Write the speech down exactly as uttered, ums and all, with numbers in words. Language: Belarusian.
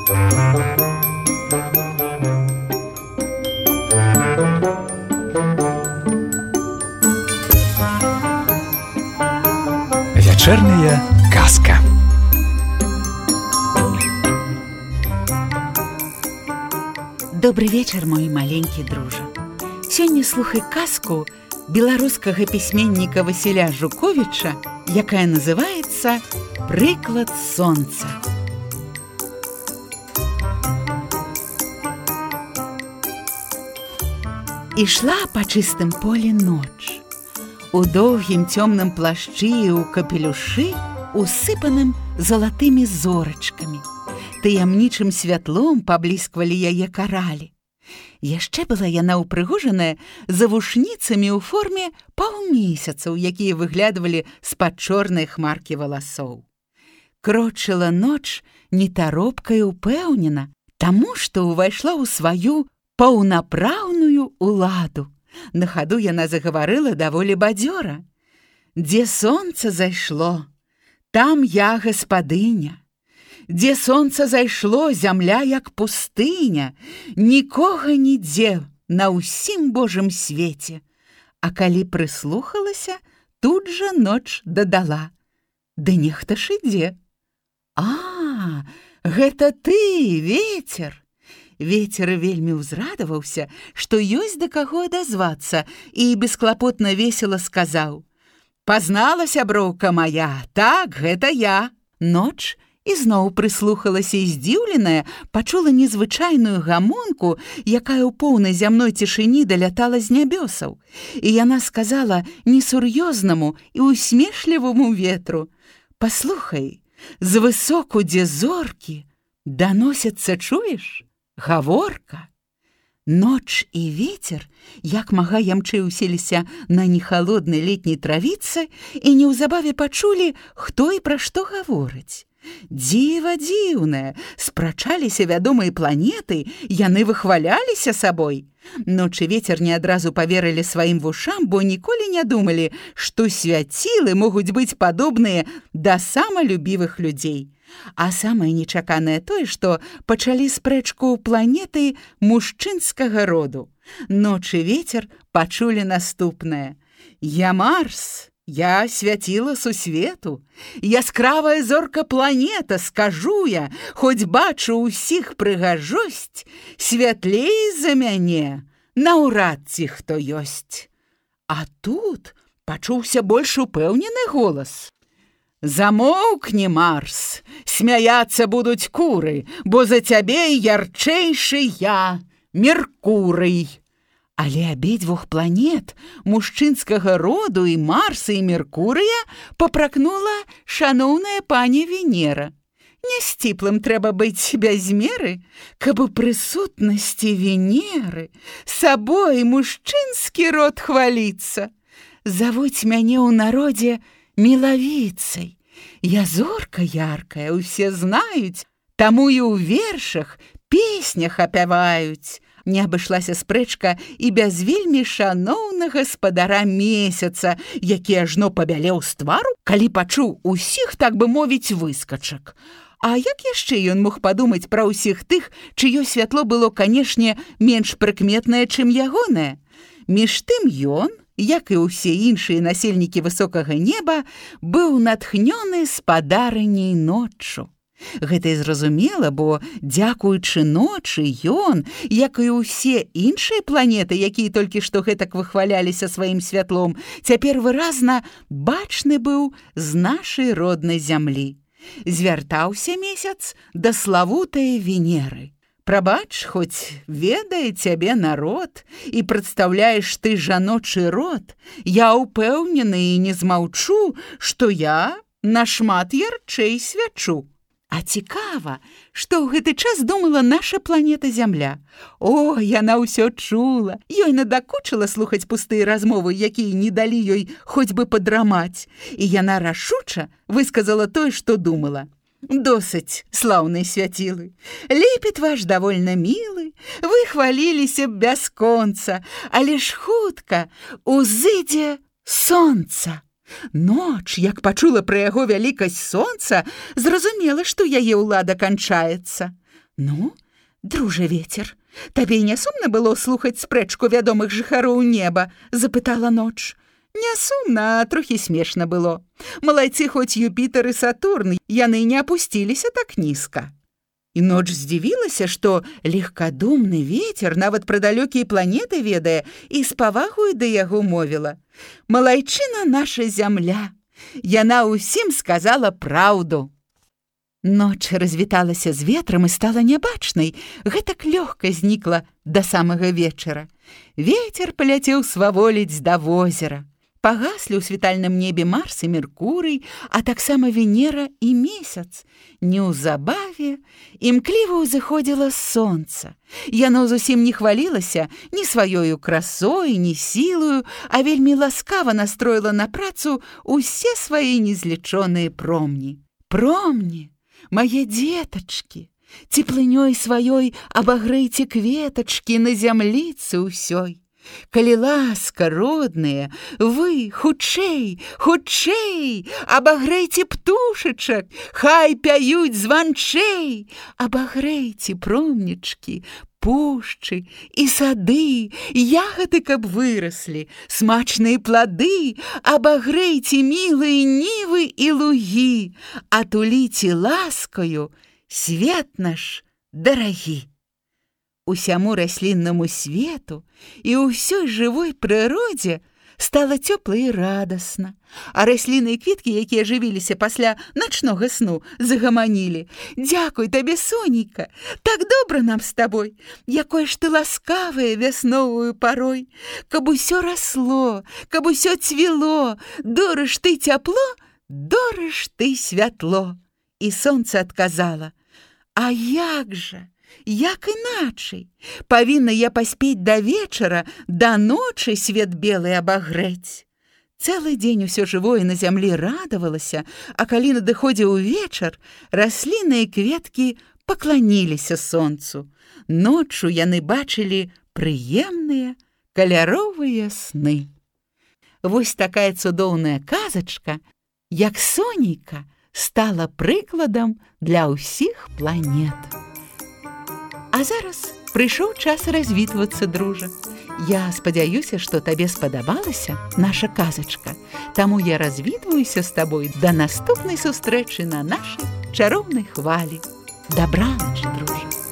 Вечерняя казка. Добрый вечер, мой маленькі дружа. Сёння слухай казку беларускага пісьменніка Васіля Жуковіча, якая называецца «Прыклад сонца». Ішла па чыстым полі ноч. У доўгім цёмным плашчы і ў капелюшы, усыпаным залатымі зорачкамі. Таямнічым святлом паблісквалі яе каралі. Яшчэ была яна ўпрыгожаная завушніцамі ў форме паўмесяцаў, якія выглядвалі з-пад чорнай хмаркі валасоў. Крочыла ноч нетаропка і ўпэўнена, таму што ўвайшла ў сваю паўнапраўную ўладу. На хаду яна загаварыла даволі бадзёра. Дзе сонца зайшло, там я гаспадыня. Дзе сонца зайшло, зямля як пустыня, нікога нідзе на ўсім Божым свеце. А калі прыслухалася, тут жа ноч дадала: ды нехта ж ідзе. А, гэта ты, вецер. Вецер вельмі ўзрадаваўся, што ёсць да каго адазвацца, і бесклапотна весела сказаў: «Пазнала, сяброўка мая, так, гэта я». Ноч ізноў прыслухалася і здзіўленая пачула незвычайную гамонку, якая ў поўнай зямной цішыні далятала з нябёсаў. І яна сказала несур'ёзнаму і усмешліваму ветру: «Паслухай, звысоку, дзе зоркі, даносяцца, чуеш? Гаворка». Ноч і вецер, як мага ямчэй уселіся на нехалоднай летняй травіцы і неўзабаве пачулі, хто і пра што гаворыць. Дзіва дзіўнае, спрачаліся вядомыя планеты, яны выхваляліся сабой. Ноч і вецер не адразу паверылі сваім вушам, бо ніколі не думалі, што свяцілы могуць быць падобныя да самалюбівых людзей. А самае нечаканае тое, што пачалі спрэчку планеты мужчынскага роду. Ноч і вецер пачулі наступнае: «Я Марс, я свяціла сусвету, яскравая зорка планета, скажу я, хоць бачу ўсіх прыгажосць, святлей за мяне наўрад ці хто ёсць». А тут пачуўся больш упэўнены голас: «Замоўкні, Марс, смяяцца будуць куры, бо за цябе ярчэйшы я, Меркурый». Але абедзвюх планет мужчынскага роду і Марса і Меркурыя папракнула шаноўная пані Венера. Нясціплым трэба быць без меры, каб у прысутнасці Венеры сабой мужчынскі род хваліцца. Завуць мяне ў народзе мілавіцай. Я зорка яркая, усе знаюць, таму і ў вершах, песнях апяваюць. Не абышлася спрэчка і без вельмі шаноўнага гаспадара месяца, які ажно пабялеў з твару, калі пачуў усіх, так бы мовіць, выскачак. А як яшчэ ён мог падумаць пра ўсіх тых, чыё святло было, канешне, менш прыкметнае, чым ягонае? Між тым ён, як і ўсе іншыя насельнікі высокага неба, быў натхнёны спадарыняй ноччу. Гэта і зразумела, бо, дзякуючы ночы, ён, як і ўсе іншыя планеты, якія толькі што гэтак выхваляліся сваім святлом, цяпер выразна бачны быў з нашай роднай зямлі. Звяртаўся месяц да славутае Венеры: «Прабач, хоць ведае цябе народ і прадстаўляеш ты жаночы род, я ўпэўнены і не змаўчу, што я нашмат ярчэй свячу». А цікава, што ў гэты час думала наша планета Зямля. О, яна ўсё чула. Ёй надакучыла слухаць пустыя размовы, якія не далі ёй хоць бы падрамаць. І яна рашуча высказала тое, што думала: «Досыць, слаўныя свяцілы, лепет ваш давольна мілы, вы хваліліся б бясконца, але ж хутка узыдзе сонца». Ноч, як пачула пра яго вялікасць сонца, зразумела, што яе ўлада канчаецца. Ну, дружа вецер, табе не сумна было слухаць спрэчку вядомых жыхароў неба, запытала ноч. Не сумна, а трохі смешна было. Малайцы хоць Юпітер і Сатурн, яны не апусціліся так нізка. І ноч здзівілася, што легкадумны вецер нават пра далёкія планеты ведае і з павагою да яго мовіла. Малайчына наша зямля, яна ўсім сказала праўду. Ноч развіталася з ветрам і стала нябачнай, гэтак лёгка знікла да самага вечара. Вецер паляцеў сваволіць да возера. Пагаслі ў світальным небе Марс і Меркурый, а таксама Венера і месяц. Неўзабаве імкліва ўзыходзіла сонца. Яно зусім не хвалілася ні сваёю красой, ні сілаю, а вельмі ласкава настроіла на працу ўсе свае незлічоныя промні. Промні, мае дзетачкі, цеплынёй сваёй абагрэйце кветачкі на зямліцы ўсёй. Калі ласка, родныя, вы, хутчэй, хутчэй, абагрэйце птушачак, хай пяюць званчэй, абагрэйце промнічкі, пушчы і сады, ягады, каб выраслі, смачныя плады, абагрэйце мілыя нівы і лугі, атуліце ласкаю свет наш дарагі. Усяму расліннаму свету і ўсёй жывой прыродзе стала цёпла і радасна, а расліны і квіткі, якія жывіліся пасля начнога сну, загаманілі. Дзякуй табе, сонейка, так добра нам з табой, якое ж ты ласкавае вясновую парой. Каб усё расло, каб усё цвіло, дорыш ты цяпло, дорыш ты святло. І сонца адказала: а як жа? Як іначай? Павінна я паспець да вечара, да ночы свет белы абагрэць. Цэлы дзень усё жывое на зямлі радавалася, а калі надыходзіў вечар, расліны і кветкі пакланіліся сонцу. Ноччу яны бачылі прыемныя каляровыя сны. Вось такая цудоўная казачка, як сонейка, стала прыкладам для ўсіх планет. А зараз прыйшоў час развітвацца, дружа. Я спадзяюся, што табе спадабалася наша казачка. Таму я развітваюся з табой да наступнай сустрэчы на нашай чароўнай хвалі. Дабраноч, дружа.